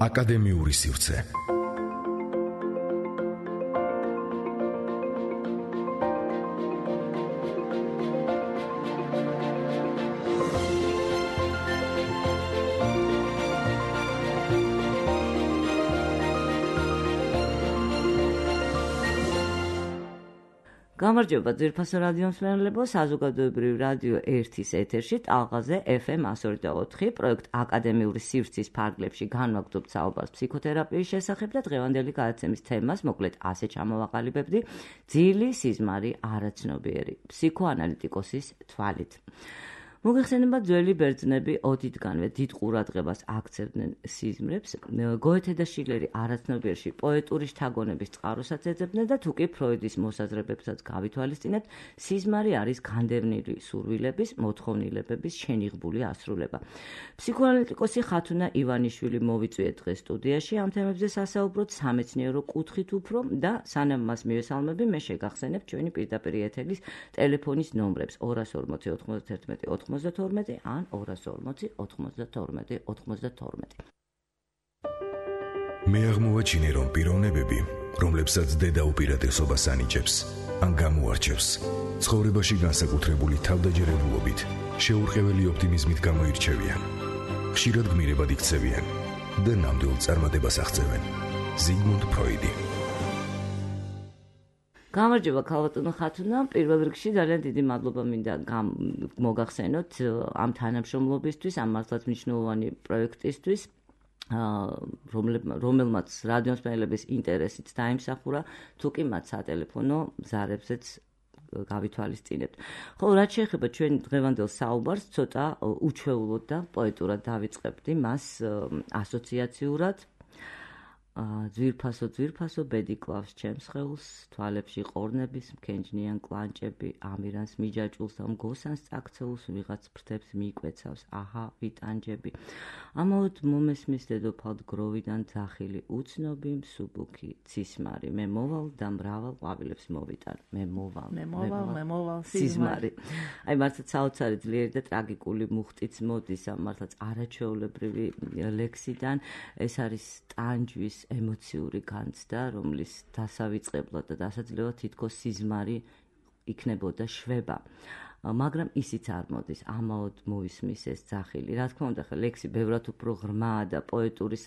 აკადემიური სივრცე. გამარჯობა ძვირფასო რადიო მსმენელებო, საზოგადოებრივი რადიო 1-ის ეთერში ტალღაზე FM 102.4 პროექტ აკადემიური სივრცის ფარგლებში განვაგრძობთ საუბარს ფსიქოთერაპიის შესახებ და დღევანდელი გადაცემის თემას მოკლედ ასე ჩამოვაყალიბებდი: ძილი, სიზმარი, არაცნობიერი, ფსიქოანალიტიკოსის თვალით. მოგეხსენება ძველი ბერძნები ოდითგანვე დიდ ყურადღებას აქცევდნენ სიზმრებს, გოეთე და შილერი არაცნობიერში პოეტური შთაგონების წყაროსაც ეძებდნენ და თუკი ფროიდის მოსაზრებებსაც გავითვალისწინებთ, სიზმარი არის განდევნილი სურვილების, მოთხოვნილებების შენიღბული ასრულება. ფსიქოანალიტიკოსი ხათუნა ივანიშვილი მოვიწვიეთ დღეს სტუდიაში ამ თემებზე სასაუბროდ სამეცნიერო კუთხით უფრო და სანამ მას მივესალმები, მე შეგახსენებ ჩვენი პირდაპირ ეთერის ტელეფონის ნომრებს 240 91 92 ან 240 92 92. მე აღმოვაჩინე, რომ პიროვნებები, რომლებსაც დედა უპირატესობას ანიჭებს, ან გამოარჩევს, ცხოვრებაში განსაკუთრებული თავდაჯერებულობით, შეურყეველი ოპტიმიზმით გამოირჩევიან. ხშირად გმირებად იქცევიან და ნამდვილ წარმატებას აღწევენ. ზიგმუნდ ფროიდი. გამარჯობა ქალბატონო ხათუნა, პირველ რიგში ძალიან დიდი მადლობა მინდა მოგახსენოთ ამ თანამშრომლობისთვის, ამ მართლაც მნიშვნელოვანი პროექტისთვის, რომელმაც რადიო მსმენელების ინტერესიც დაიმსახურა, თუკი მათ სატელეფონო ზარებზეც გავითვალისწინებთ. ხო, რაც შეეხება ჩვენ დღევანდელ საუბარს, ცოტა უჩვეულოდ და პოეტურად დავიწყებდი მას ასოციაციურად. ძვირფასო ბედი კლავს ჩემს სხეულს, თვალებში ყორნების მქენჯნიან კლანჭები, ამირანს მიჯაჭულს და მგოსანს წაქცეულს, ვიღაც ფრთებს მიიკვეცავს, აჰა ვიტანჯები. ამაოდ მომესმის დედოფალ გროვიდან ძახილი უცნობი მსუბუქი ცისმარი, მე მოვალ და მრავალ ყვავილებს მოვიტან, მე მოვალ სიზმარი. აი მართლაც საოცარი ძლიერი და ტრაგიკული მუხტიც მოდის ამ მართლაც არაჩვეულებრივი ლექსიდან, ეს არის ტანჯვის ემოციური განცდა, რომლის დასავიწყებლად და დასაძლევად თითქოს სიზმარი იქნებოდა შვება. მაგრამ ისიც არ მოდის, ამაოდ მოისმის ეს ძახილი. რა თქმა უნდა, ლექსი ბევრად უფრო ღრმაა და პოეტური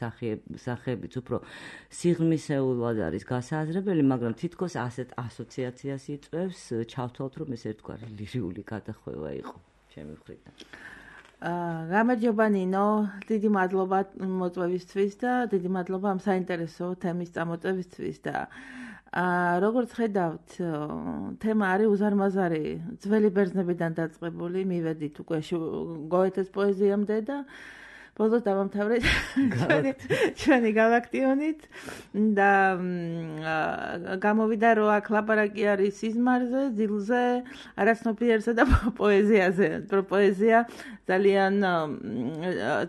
სახეებიც უფრო სიღრმისეულად არის გასააზრებელი, მაგრამ თითქოს ასეთ ასოციაციას იწვევს, ჩავთვალთ, რომ ეს ერთგვარი ლირიული გადახვევა იყო ჩემი მხრიდან. გამარჯობა ნინო, დიდი მადლობა მოწვევისთვის და დიდი მადლობა ამ საინტერესო თემის წამოწევისთვის და როგორც ხედავთ, თემა არის უზარმაზარი, ძველი ბერძნებიდან დაწყებული, მივედით უკვე გოეთეს პოეზიამდე და ბოლოს დავამთავრეთ ჩვენი გალაქტიონით და გამოვიდა რომ აქ ლაპარაკი არის სიზმარზე, ძილზე, არაცნობიერზე და პოეზიაზე. პოეზია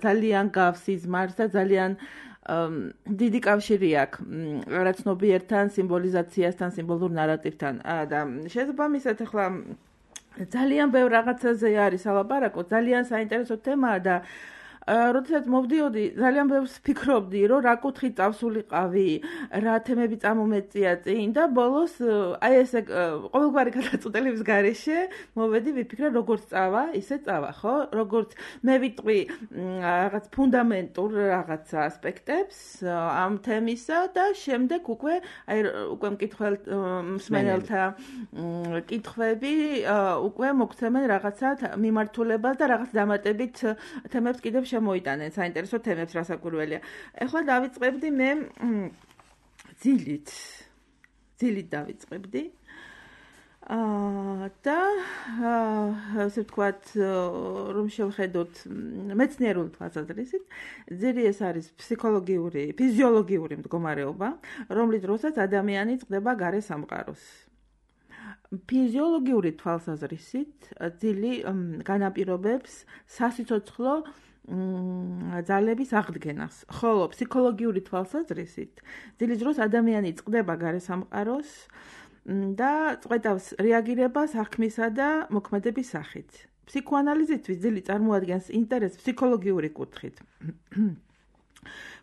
ძალიან გავს სიზმარს და ძალიან დიდი კავშირი აქვს არაცნობიერთან, სიმბოლიზაციასთან, სიმბოლურ ნარატივთან და შესაბამისად ახლა ძალიან ბევრ რაღაცაზე არის ალაპარაკო, ძალიან საინტერესო თემაა და როდესაც მოვდიოდი, ძალიან ბევრს ფიქრობდი, რომ რა კუთხით წავსულიყავი, რა თემები წამომეწია წინ და ბოლოს აი ესე ყოველგვარი გადაწყვეტილების გარეშე მოვედი, ვიფიქრე როგორც წავა, ისე წავა, ხო? როგორც მე ვიტყვი რაღაც ფუნდამენტურ რაღაც ასპექტებს ამ თემისა და შემდეგ უკვე მსმენელთა კითხვები უკვე მოგცემენ რაღაცა მიმართულებას და რაღაც დამატებით თემებს კიდევ შემოიტანენ საინტერესო თემებს რასაკვირველია. ეხლა დავიწყებდი მე ძილით დავიწყებდი. და ასე ვთქვათ, რომ შევხედოთ მეცნიერული თვალსაზრისით, ძილი ეს არის ფსიქოლოგიური, ფიზიოლოგიური მდგომარეობა, რომლის დროსაც ადამიანი წყდება გარე სამყაროს. ფიზიოლოგიური თვალსაზრისით ძილი განაპირობებს სასიცოცხლო ძალების აღდგენას, ხოლო ფსიქოლოგიური თვალსაზრისით ძილის დროს ადამიანი წყდება გარე სამყაროს და წყვეტავს რეაგირებას აღქმისა და მოქმედების სახით. ფსიქოანალიზისთვის ძილი წარმოადგენს ინტერესს ფსიქოლოგიური კუთხით.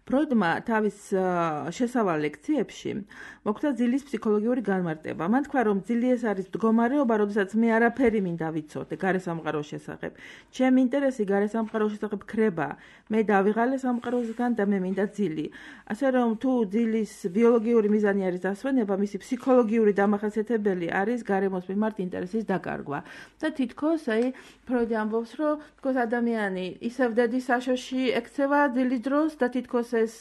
ფროიდმა თავის შესავალ ლექციებში მოხდა ძილის ფსიქოლოგიური განმარტება. მან თქვა, რომ ძილი ეს არის მდგომარეობა, როდესაც მე არაფერი მინდა ვიცოდე გარესამყაროს შესახებ. ჩემი ინტერესი გარესამყაროს შესახებ ქრება. მე დავიღალე სამყაროსგან და მე მინდა ძილი. ასე რომ თუ ძილის ბიოლოგიური მიზანი არის დასვენება, მისი ფსიქოლოგიური დამახასიათებელი არის გარემოს მიმართ ინტერესის დაკარგვა. და თითქოს ფროიდი ამბობს, რომ თითქოს ადამიანი ისევ დედის საშოში ექცევა ძილის დროს და თითქოს ეს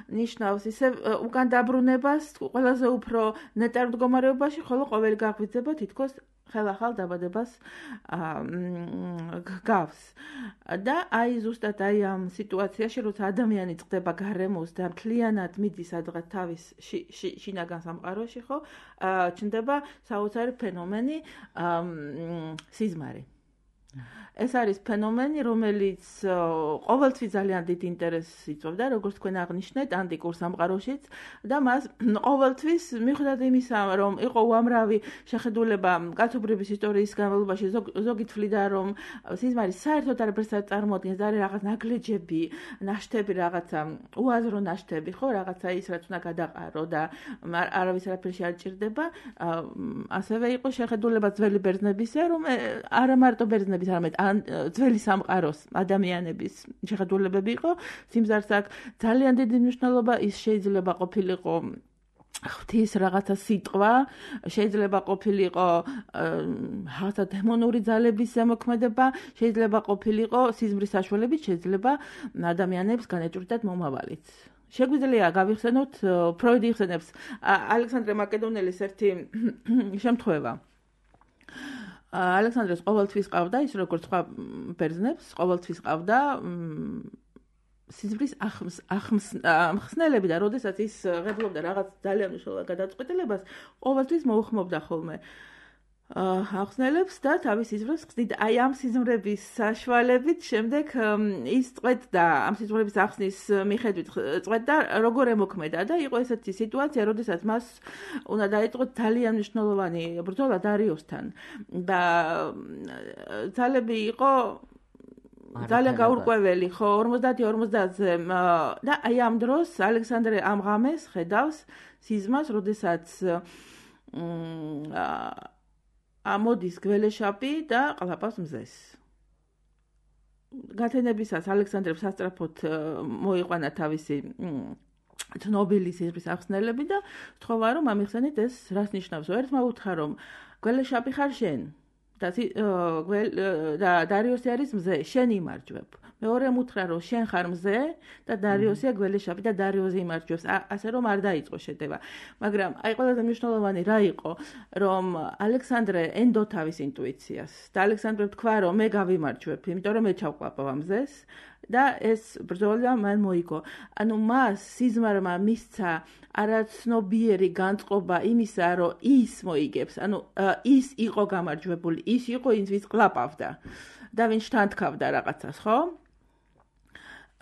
ნიშნავს ისევ უკან დაბრუნებას ყველაზე უფრო ნეტარ მდგომარეობაში, ხოლო ყოველი გაღვიძება თითქოს ხელახალ დაბადებას გავს. და ზუსტად ამ სიტუაციაში, როცა ადამიანი წყდება გარემოს და მთლიანად მიდის სადღაც თავის შინაგან სამყაროში, ხო, ჩნდება საოცარი ფენომენი სიზმარი. ეს არის ფენომენი, რომელიც ყოველთვის ძალიან დიდ ინტერესს იწვევდა, როგორც თქვენ აღნიშნეთ, ანტიკურ სამყაროშიც და მას ყოველთვის მიუხედავად იმისა, რომ იყო უამრავი შეხედულება კაცობრიობის ისტორიის განმავლობაში, ზოგი თვლიდა, რომ სიზმარი საერთოდ არაფერს არ წარმოადგენს, არის რაღაც ნაგლეჯები, ნაშთები, რაღაცა უაზრო ნაშთები, ხო, რაღაცა ის, რაც უნდა გადაყარო და არავის არაფერში არ ჭირდება. ასევე იყო შეხედულება ძველი ბერძნებისა, რომ არა მარტო ბერძნების, არამედ ძველი სამყაროს ადამიანების შეხედულებები იყო. სიმზარს აქვს ძალიან დიდი მნიშვნელობა, ის შეიძლება ყოფილიყო ღვთის რაღაცა სიტყვა, შეიძლება ყოფილიყო რაღაცა დემონური ძალების ზემოქმედება, შეიძლება ყოფილიყო სიზმრის საშუალებით, შეიძლება ადამიანებს განეჭვრიტათ მომავალიც. შეგვიძლია გავიხსენოთ, ფროიდი იხსენებს ალექსანდრე მაკედონელის ერთი შემთხვევა. ალექსანდრეს ყოველთვის ყავდა, ის როგორც სხვა ბერძნებს, ყოველთვის ყავდა სიზმრის ახსნელები და როდესაც ის ღებულობდა რაღაც ძალიან მნიშვნელოვან გადაწყვეტილებას, ყოველთვის მოუხმობდა ხოლმე ახსნელებს და თავის სიზმრებს ხდიდა. ამ სიზმრების საშუალებით შემდეგ ის წვეთდა, ამ სიზმრების ახსნის მიხედვით წვეთდა როგორ ემოქმედა და იყო ესეთი სიტუაცია, როდესაც მას უნდა დაიწყო ძალიან მნიშვნელოვანი ბრძოლა დარიოსთან და ძალები იყო ძალიან გაურკვეველი, ხო, 50-50-ზე და ამ დროს ალექსანდრე ამ ღამეს ხედავს სიზმას, როდესაც ამოდის გველეშაპი და ყლაპავს მზეს. გათენებისას ალექსანდრემ სასწრაფოდ მოიყვანა თავისი ცნობილი სიზმრის ახსნელები და სთხოვა, რომ ამიხსენეთ ეს რას ნიშნავს. ერთმა უთხრა, რომ გველეშაპი ხარ შენ და დარიოსი არის მზე, შენ იმარჯვებ. მეორემ უთხრა, რომ შენ ხარ მზე და დარიოსია გველეშაპი და დარიოსი იმარჯვებს, ასე რომ არ დაიწყო შეტევა. მაგრამ ყველაზე მნიშვნელოვანი რა იყო, რომ ალექსანდრე ენდო თავის ინტუიციას და ალექსანდრემ თქვა, რომ მე გავიმარჯვებ, იმიტომ რომ მე ჩავყლაპავ ამ მზეს და ეს ბრძოლა მან მოიგო. ანუ მას სიზმარმა მისცა არაცნობიერი განწყობა იმისა, რომ ის მოიგებს, ანუ ის იყო გამარჯვებული, ის იყო ის ვის ყლაპავდა და ვინც შთანთქავდა რაღაცას, ხო?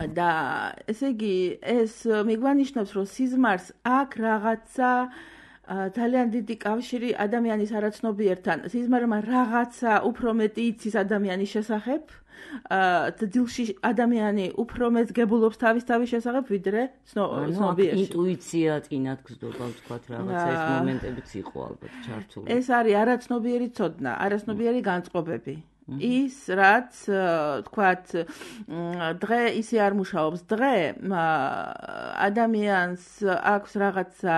და ესე იგი ეს მიგვანიშნავს, რომ სიზმარს აქვს რაღაცა ძალიან დიდი კავშირი ადამიანის არაცნობიერთან. სიზმარმა რაღაცა უფრო მეტი იცის ადამიანის შესახებ. ძილში ადამიანი უფრო მეც გებულობს თავის შესახებ, ვიდრე ცნობიერში. ინტუიცია წინათ გზდობა, ვთქვათ, რაღაცა ეს მომენტებიც იყო ალბათ ჩართული. ეს არის არაცნობიერი ცოდნა, არაცნობიერი განწყობები. ის რაც თქვათ დღე ისე არ მუშაობს. დღე ადამიანს აქვს რაღაცა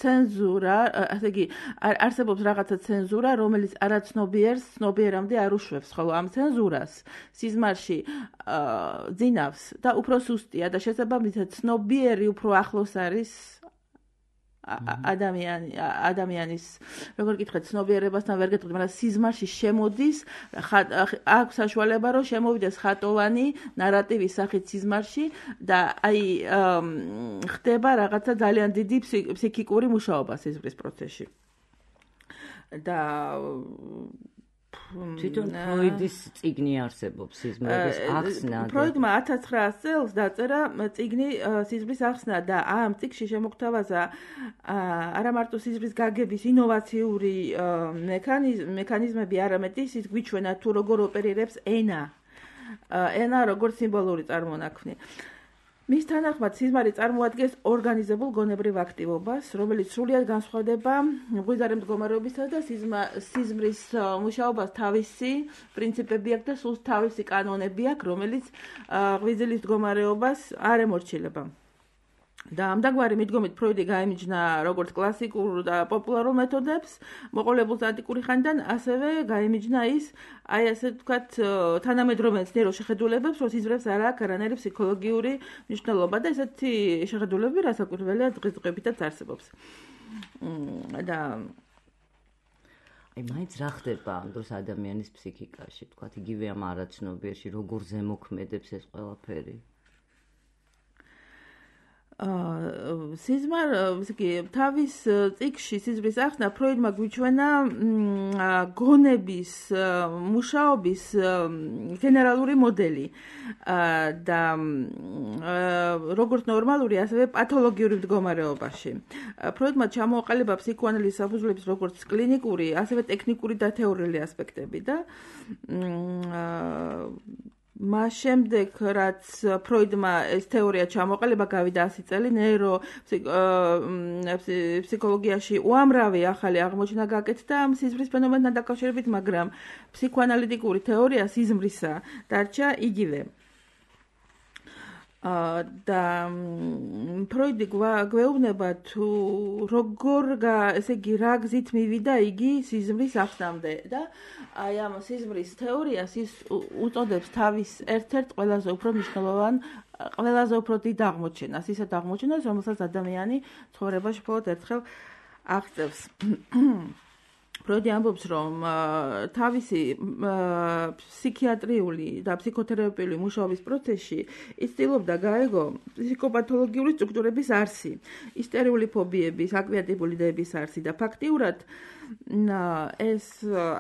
ცენზურა, ასე იგი არსებობს რაღაცა ცენზურა, რომელიც არაცნობიერს ცნობიერამდე არ უშვებს, ხოლო ამ ცენზურას სიზმარში ძინავს და უფრო სუსტია და შესაბამისად ცნობიერი უფრო ახლოს არის ადამიანის, როგორ გითხრათ, ცნობიერებასთან ვერ გეტყვით, მაგრამ სიზმარში შემოდის, აქვს საშუალება, რომ შემოვიდეს ხატოვანი ნარატივის სახით სიზმარში და ხდება რაღაცა ძალიან დიდი ფსიქიკური მუშაობა სიზმრის პროცესში. და თვითონ ფროიდის წიგნი არსებობს სიზმრის ახსნა. ფროიდმა 1900 წელს დაწერა წიგნი სიზმრის ახსნა და ამ წიგნში შემოგთავაზა არა მარტო სიზმრის გაგების ინოვაციური მექანიზმები, არამედ ის გვიჩვენა თუ როგორ ოპერირებს ენა როგორც სიმბოლური წარმონაქმნი. მის თანახმად სიზმარი წარმოადგენს ორგანიზებულ გონებრივ აქტივობას, რომელიც სრულიად განსხვავდება მღვიძარი მდგომარეობისა და სიზმრის მუშაობას თავისი პრინციპები აქვს და სულ თავისი კანონები აქვს, რომელიც ღვიძლის მდგომარეობას არ ემორჩილება. და ამდაგვარი მიდგომით ფროიდი გაემიჯნა როგორც კლასიკურ და პოპულარულ მეთოდებს, მოყოლებულს ანტიკური ხანიდან, ასევე გაემიჯნა ის, აი ასე ვთქვათ, თანამედროვე მეცნიერულ შეხედულებებს, რომ სიზმრებს არ აქვს არანაირი ფსიქოლოგიური მნიშვნელობა და ესეთი შეხედულებები რასაკვირველია დღესდღეობითაც არსებობს. და აი მაინც რა ხდება ამ დროს ადამიანის ფსიქიკაში, ვთქვათ, იგივე ამ არაცნობიერში, როგორ ზემოქმედებს ეს ყველაფერი? სიზმარ თავის წიგნში სიზმრის ახსნა ფროიდმა გვიჩვენა გონების მუშაობის გენერალური მოდელი და როგორც ნორმალური, ასევე პათოლოგიური მდგომარეობაში. ფროიდმა ჩამოაყალიბა ფსიქოანალიზის საფუძვლების როგორც კლინიკური, ასევე ტექნიკური და თეორიული ასპექტები და მას შემდეგ, რაც ფროიდმა ეს თეორია ჩამოყალიბა, გავიდა 100 წელი, ფსიქოლოგიაში უამრავი ახალი აღმოჩენა გაკეთდა სიზმრის ფენომენთან დაკავშირებით, მაგრამ ფსიქოანალიტიკური თეორია სიზმრისა დარჩა იგივე. და ფროიდი გვეუბნება თუ როგორ ესე იგი რა გზით მივიდა იგი სიზმრის ახსნამდე და აი ამ სიზმრის თეორიას ის უწოდებს თავის ერთ-ერთ ყველაზე უფრო მნიშვნელოვან, ყველაზე უფრო დიდ აღმოჩენას, ისეთ აღმოჩენას, რომელსაც ადამიანი ცხოვრებაში მხოლოდ ერთხელ აღწევს. ფროიდი ამბობს, რომ თავისი ფსიქიატრიული და ფსიქოთერაპიული მუშაობის პროცესში ის ცდილობდა გაეგო ფსიქოპათოლოგიური სტრუქტურების არსი, ისტერიული ფობიების, აკვიატიბული დების არსი და ფაქტიურად ეს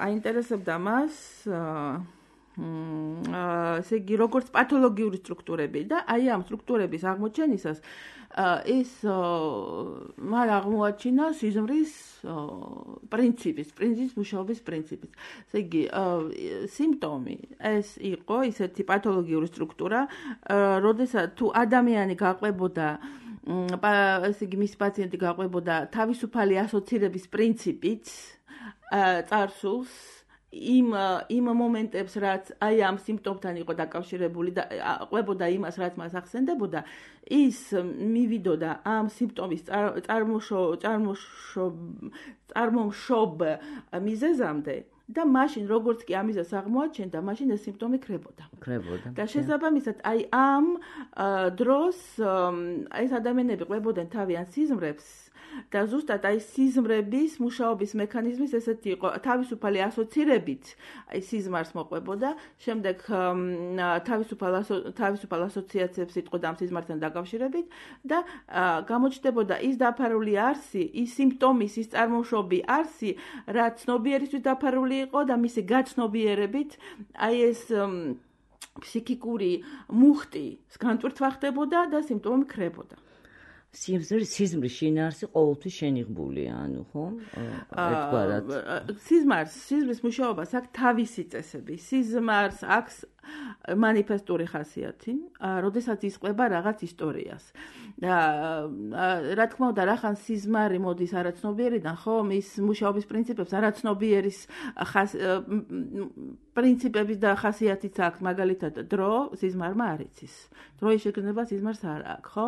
აინტერესებდა მას ესე იგი როგორც პათოლოგიური სტრუქტურები და აი ამ სტრუქტურების აღმოჩენისას ის მან აღმოაჩინა სიზმრის პრინციპის მუშაობის პრინციპის. ესე იგი სიმპტომი ეს იყო ისეთი პათოლოგიური სტრუქტურა, როდესაც თუ ადამიანი გაყვებოდა ესე იგი მისი პაციენტი გაყვებოდა თავისუფალი ასოცირების პრინციპით წარსულს იმ მომენტებს, რაც აი ამ სიმპტომთან იყო დაკავშირებული და ყვებოდა იმას, რაც მას ახსენდებოდა, ის მივიდოდა ამ სიმპტომის წარმომშობ მიზეზამდე და მაშინ როგორც კი ამისას აღმოაჩენდა, მაშინ ეს სიმპტომი ქრებოდა. და შესაბამისად, აი ამ დროს ეს ადამიანები ყვებოდნენ თავიანთ სიზმრებს და ზუსტად აი სიზმრების მუშაობის მექანიზმის ესეთი იყო, თავისუფალი ასოცირებით აი სიზმარს მოყვებოდა, შემდეგ თავისუფალ ასოციაციებს იტყოდა ამ სიზმართან დაკავშირებით და გამოჩნდებოდა ის დაფარული არსი, ის სიმპტომის, ის წარმომშობი არსი, რაც ცნობიერისთვის დაფარული იყო და მისი გაცნობიერებით აი ეს ფსიქიკური მუხტი განტვირთვა ხდებოდა და სიმპტომი ქრებოდა. სიზმრის შინაარსი ყოველთვის შენიღბულია, ანუ ხო? ერთგვარად. სიზმრის მუშაობას აქვს თავისი წესები. სიზმარს აქვს манифестური ხასიათი, როდესაც ისყვება რაღაც ისტორიას. და რა თქმა უნდა, რახან სიზმარი მოდის არაცნობიერიდან, ხო, მის მუშაობის პრინციპებს არაცნობიერის პრინციპების და ხასიათიც აქვს, მაგალითად, დრო სიზმარმა არ იცის. დროის შეგრძნება სიზმარს არ აქვს, ხო?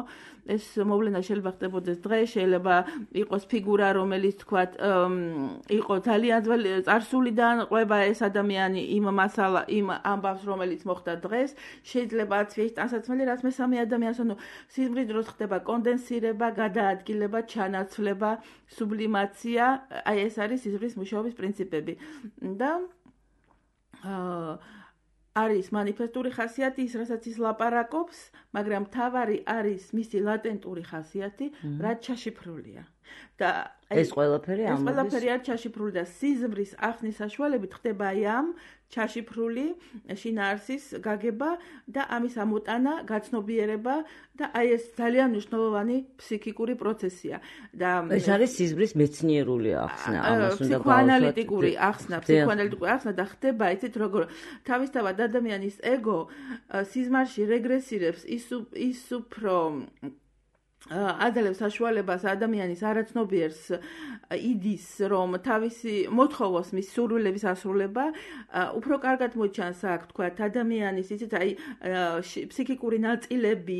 ეს მოვლენა შეიძლება ხდებოდეს დღეს, შეიძლება იყოს ფიგურა, რომელიც თქვათ, იყო ძალიან ძველი წარსულიდან, ყვება ეს ადამიანი იმ ამბავს, რომელიც მოხდა დღეს, შეიძლება აცვიეს ტანსაცმელი, რაც მესამე ადამიანს, ანუ სიზმრის დროს ხდება კონდენსირება, გადაადგილება, ჩანაცვლება, სუბლიმაცია, აი ეს არის სიზმრის მუშაობის პრინციპები. და არის манифестური ხასიათი, ის რასაც ის ლაპარაკობს, მაგრამ მთავარი არის მისი ლატენტური ხასიათი, რაც ჩაშიფრულია. და ეს ყველაფერი არის ჩაშიფრული და სიზმრის ახსნის საშუალებით ხდება აი ამ ჩაშიფრული შინაარსის გაგება და ამის ამოტანა, გაცნობიერება და აი ეს ძალიან მნიშვნელოვანი ფსიქიკური პროცესია და ეს არის სიზმრის მეცნიერული ახსნა, ამას უნდა ფსიქოანალიტიკური ახსნა და ხდება იცით როგორ თავისთავად ადამიანის ეგო სიზმარში რეგრესირებს ის უფრო აძლევს საშუალებას ადამიანის არაცნობიერს იდის რომ თავისი მოთხოვოს მის სურვილების ასრულება უფრო კარგად მოჩანს აქ თქვა ადამიანის იცით აი ფსიქიკური ნაწილები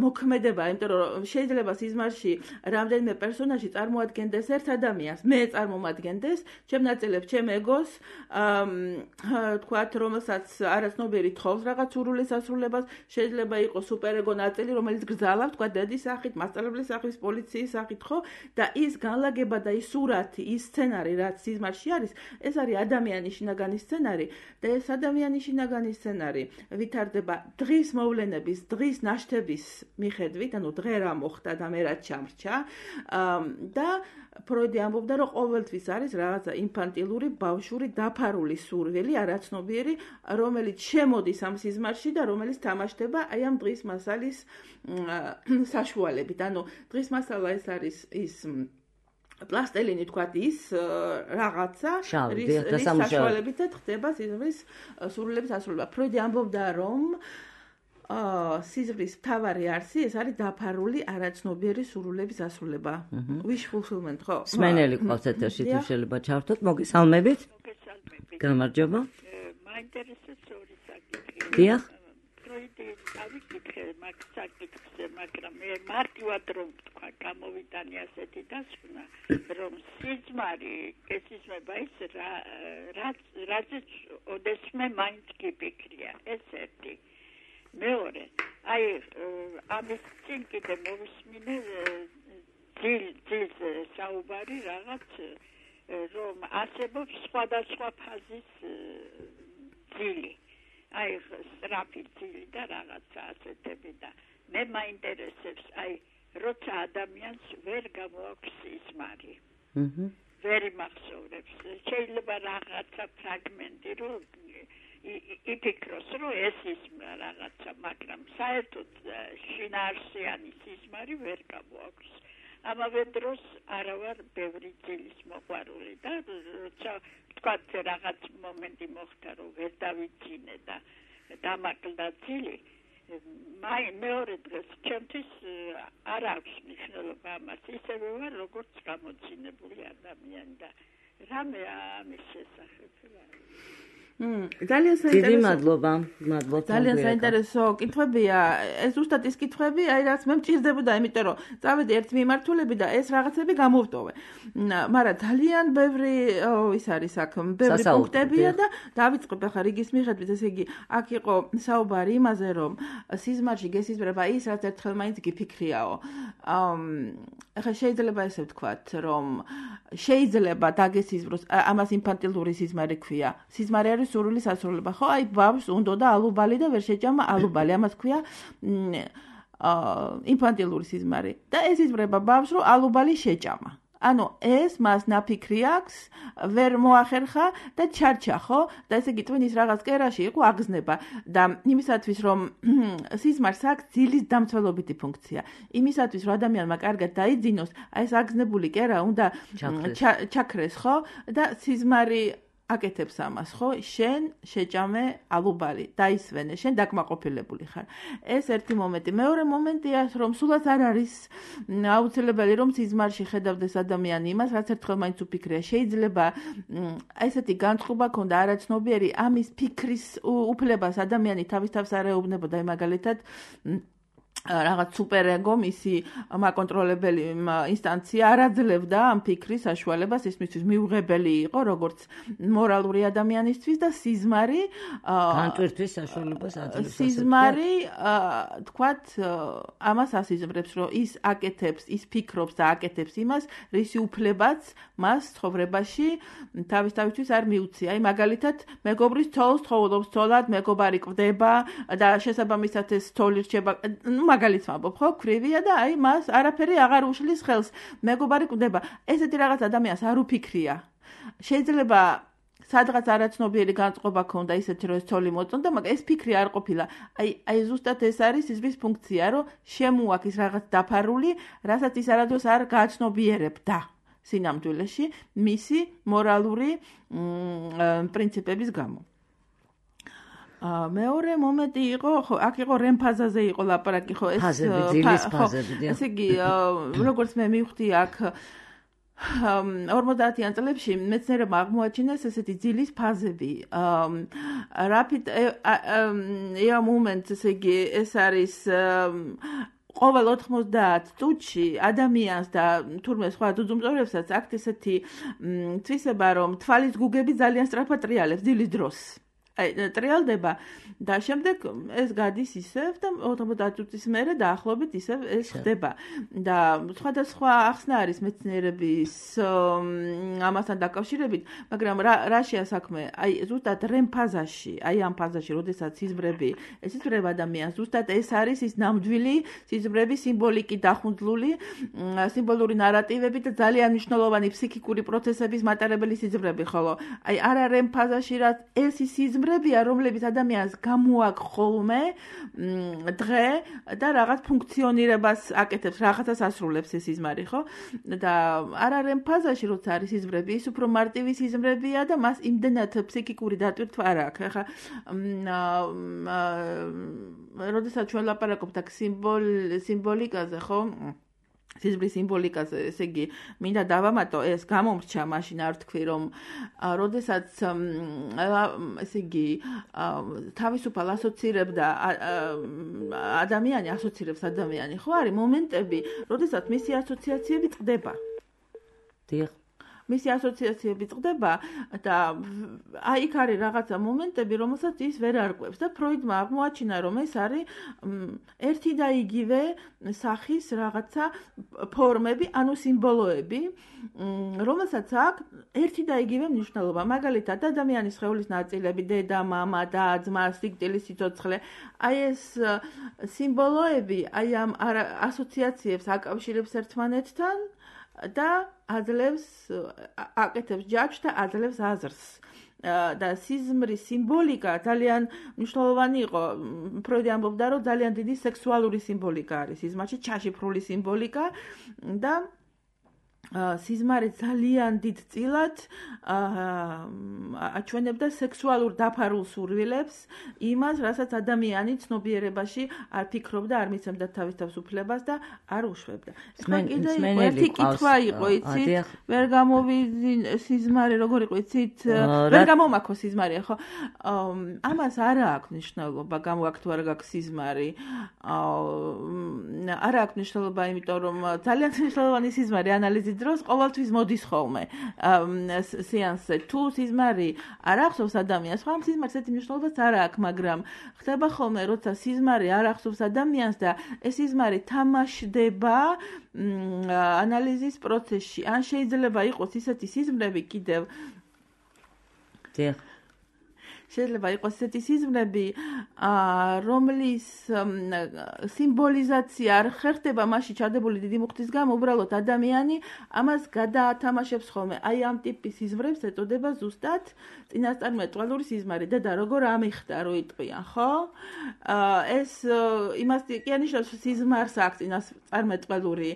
მოქმედება იმიტომ რომ შეიძლება სიზმარში რამდენიმე პერსონაჟი წარმოადგენდეს ერთ ადამიანს მე წარმომადგენდეს ჩემ ნაწილებს ჩემ ეგოს თქვა რომელსაც არაცნობიერი თხოვს რაღაც სურვილის ასრულებას შეიძლება იყოს სუპერეგო ნაწილი რომელიც გრძალავს თქვა დედის სახით, მასწავლებლის სახით, პოლიციის სახით, ხო? და ის განლაგება და ის სურათი, ის სცენარი, რაც სიზმარში არის, ეს არის ადამიანის შინაგანი სცენარი და ეს ადამიანის შინაგანი სცენარი ვითარდება დღის მოვლენების, დღის ნაშთების მიხედვით, ანუ დღე რა მოხდა და მე რა ჩამრჩა და ფროიდი ამბობდა, რომ ყოველთვის არის რაღაცა ინფანტილური, ბავშვური, დაფარული სურვილი, არაცნობიერი, რომელიც შემოდის ამ სიზმარში და რომელიც თამაშდება აი ამ დღის მასალის საშუალებით. ანუ დღის მასალა ეს არის ის პლასტელინი თქვათ ის რაღაცა რის საშუალებით ხდება სიზმრის სურვილების ასრულება. ფროიდი ამბობდა, რომ სიზმრის მთავარი არსი ეს არის დაფარული არაცნობიერი სურვილების ასრულება. Wish fulfillment, ხო? სმენელი ყავს ეთერში თუ შეიძლება ჩართოთ. მოგესალმებით. გამარჯობა. მაინტერესებს ორი საკითხი. დიახ. ფროიდი ავიკითხე მაგ საკითხზე, მაგრამ მე მარტივად რომ თქვა გამოვიტანი ასეთი დასკვნა, რომ სიზმარი ესიზმება ის რაზეც ოდესმე მაინც გიფიქრია. ეს ერთი. მეორე, აი ამის წინ კიდე მოვისმინე ძილ საუბარი რაღაც რომ არსებობს სხვადასხვა ფაზის ძილი. აი სწრაფი ძილი და რაღაცა ასეთები და მე მაინტერესებს აი როცა ადამიანს ვერ გამოაქვს სიზმარი. ვერ იმახსოვრებს. შეიძლება რაღაცა ფრაგმენტი რომ იფიქროს რომ ეს ის რაღაცა, მაგრამ საერთოდ შინაარსიანი სიზმარი ვერ გამოაქვს. ამავე დროს არა ვარ ბევრი ძილის მოყვარული და როცა თქვათ რაღაც მომენტი მოხდა რომ ვერ დავიძინე და დამაკლდა ძილი, მეორე დღეს ჩემთვის არ აქვს მნიშვნელობა ამას, ისევე ვარ როგორც გამოძინებული ადამიანი და რამე ამის შესახებ ძალიან საინტერესო კითხვებია. ეს ზუსტად ის კითხვები, აი რაც მე მჭირდებოდა, იმიტომ რომ წავედი ერთ მიმართულები და ეს რაღაცები გამოვტოვე. მაგრამ ძალიან ბევრი ის არის აქ, ბევრი პუნქტებია და დავიწყებ ახლა რიგის მიხედვით, ესე იგი, აქ იყო საუბარი იმაზე, რომ სიზმარში გესიზმრება ის, რაც ერთხელ მაინც გიფიქრიაო. ახლა შეიძლება ესე ვთქვათ, რომ შეიძლება დაგესიზმროს, ამას ინფანტილური სიზმარი ქვია. სიზმარი არის სურვილის ასრულება, ხო? აი ბავშვს უნდოდა ალუბალი და ვერ შეჭამა ალუბალი, ამას ქვია ინფანტილური სიზმარი. და ეს იზმრება ბავშვს, რომ ალუბალი შეჭამა. ანუ ეს მას ნაფიქრი აქვს, ვერ მოახერხა და ჩარჩა, ხო? და ესე იგი ტვინის რაღაც კერაში იყო აგზნება და იმისათვის რომ სიზმარს აქვს ძილის დამცველობითი ფუნქცია. იმისათვის რომ ადამიანმა კარგად დაიძინოს, აი ეს აგზნებული კერა უნდა ჩაქრეს, ხო? და სიზმარი აკეთებს ამას, ხო? შენ შეჭამე ალუბალი, დაისვენე, შენ დაკმაყოფილებული ხარ. ეს ერთი მომენტი. მეორე მომენტია, რომ სულაც არ არის აუცილებელი, რომ სიზმარში ხედავდეს ადამიანი იმას, რაც ერთხელ მაინც უფიქრია. შეიძლება ესეთი განწყობა ქონდა არაცნობიერი ამის ფიქრის უფლებას ადამიანი თავის თავს არ ეუბნებოდა, აი მაგალითად რაღაც სუპერეგო მისი მაკონტროლებელი ინსტანცია არ აძლევდა ამ ფიქრის საშუალებას, ის მისთვის მიუღებელი იყო როგორც მორალური ადამიანისთვის და სიზმარი განტვირთვის საშუალებას აძლევს. სიზმარი თქვათ ამას ასიზმრებს, რომ ის აკეთებს, ის ფიქრობს და აკეთებს იმას, რისი უფლებაც მას ცხოვრებაში თავისთავისთვის არ მიუცია. აი მაგალითად, მეგობრის ცოლს თხოვლობს ცოლად, მეგობარი კვდება და შესაბამისად ეს ცოლი რჩება, მაგალითს ვამბობ, ხო, ქვრივია და აი მას არაფერი აღარ უშლის ხელს. მეგობარი კვდება. ესეთი რაღაც ადამიანს არ უფიქრია. შეიძლება სადღაც არაცნობიერი განწყობა ქონდა ისეთი რომ ეს ცოლი მოწონდა, მაგრამ ეს ფიქრი არ ყოფილა. აი ზუსტად ეს არის სიზმრის ფუნქცია, რომ შემოაქ ის რაღაც დაფარული, რასაც ის არადოს არ გააცნობიერებდა სინამდვილეში მისი მორალური პრინციპების გამო. მეორე მომენტი იყო, ხო, აქ იყო რემფაზაზე იყო ლაპარაკი, ხო, ეს ესე იგი, როგორც მე მივხვდი აქ 50-იან წლებში მეცნიერებმა აღმოაჩინეს ესეთი ძილის ფაზები. Rapid eye movement, ესე იგი, ეს არის ყოველ 90 წუთში ადამიანს და თურმე სხვა ძუძუმწოვრებსაც აქვთ ესეთი თვისება, რომ თვალის გუგები ძალიან სწრაფად ტრიალებს ძილის დროს. ტრიალდება და შემდეგ ეს გადის ისევ და 90 წუთის მერე დაახლოებით ისევ ეს ხდება და სხვადასხვა ახსნა არის მეცნიერების ამასთან დაკავშირებით, მაგრამ რაშია საქმე? აი ზუსტად რემ ფაზაში, აი ამ ფაზაში, როდესაც სიზმრები ესიზმრება ადამიანს, ზუსტად ეს არის ის ნამდვილი სიზმრების სიმბოლიკი დახუნძლული, სიმბოლური ნარატივები და ძალიან მნიშვნელოვანი ფსიქიკური პროცესების მატარებელი სიზმრები, ხოლო აი არა რემ ფაზაში, რაც ეს სიზმრებია, რომლებიც ადამიანს გამოაქვს ხოლმე დღე და რაღაც ფუნქციონირებას აკეთებს, რაღაცას ასრულებს ეს სიზმარი, ხო? და არა რემ ფაზაში, როცა არის სიზმრები, ის უფრო მარტივი სიზმრებია და მას იმდენად ფსიქიკური დატვირთვა არ აქვს. ახლა როდესაც ჩვენ ლაპარაკობთ აქ სიმბოლიკაზე, ხო? სიზმრის სიმბოლიკაზე, ესე იგი, მინდა დავამატო, ეს გამომრჩა მაშინ არ თქვი, რომ როდესაც ესე იგი, თავისუფალ ასოცირებდა ადამიანი, ასოცირებს ადამიანი, ხო არის მომენტები, როდესაც მისი ასოციაციები წყდება. დიახ. მისი ასოციაციები წყდება და აი იქ არის რაღაცა მომენტები, რომელსაც ის ვერ არკვევს და ფროიდმა აღმოაჩინა, რომ ეს არის ერთი და იგივე სახის რაღაცა ფორმები, ანუ სიმბოლოები, რომელსაც აქვს ერთი და იგივე მნიშვნელობა. მაგალითად, ადამიანის სხეულის ნაწილები, დედა, მამა, და, ძმა, სიკვდილი, სიცოცხლე, აი ეს სიმბოლოები, აი ამ ასოციაციებს აკავშირებს ერთმანეთთან და აძლევს აკეთებს ჯაჭვს და აძლევს აზრს. და სიზმრის სიმბოლიკა ძალიან მნიშვნელოვანი იყო. ფროიდი ამბობდა, რომ ძალიან დიდი სექსუალური სიმბოლიკა არის სიზმარში, ჩაშიფრული სიმბოლიკა და სიზმარი ძალიან დიდ წილად აჩვენებდა სექსუალურ დაფარულ სურვილებს, იმას, რასაც ადამიანი ცნობიერებაში არ ფიქრობდა, არ მიცემდა თავის თავისუფლებას და არ უშვებდა. ახლა კიდე ერთი კითხვა იყო, იცით? ვერ გამოვიძინე სიზმარი, როგორ იყო, იცით? ვერ გამომაქო სიზმარი, ხო? ამას არ აქვს მნიშვნელობა, გამოაქვთ თუ არ გაქვს სიზმარი. არ აქვს მნიშვნელობა, იმიტომ რომ ძალიან მნიშვნელოვანი სიზმარი ანალიზის დროს ყოველთვის მოდის ხოლმე სეანსზე. თუ სიზმარი არ ახსოვს ადამიანს, ხო, ამ სიზმარს ესეთი მნიშვნელობაც არ აქვს, მაგრამ ხდება ხოლმე, როცა სიზმარი არ ახსოვს ადამიანს და ეს სიზმარი თამაშდება ანალიზის პროცესში. ან შეიძლება იყოს ისეთი სიზმრები კიდევ შეიძლება იყოს ესეთი სიზმრები, რომლის სიმბოლიზაცია არ ხერხდება მასში ჩადებული დიდი მუხტის გამო, უბრალოდ ადამიანი ამას გადაათამაშებს ხოლმე. აი ამ ტიპის სიზმრებს ეწოდება ზუსტად წინასწარმეტყველური სიზმარი. დედა როგორ ამიხდა, რო იტყვიან, ხო? ეს იმას კი ანიშნავს, რომ სიზმარს აქვს წინასწარმეტყველური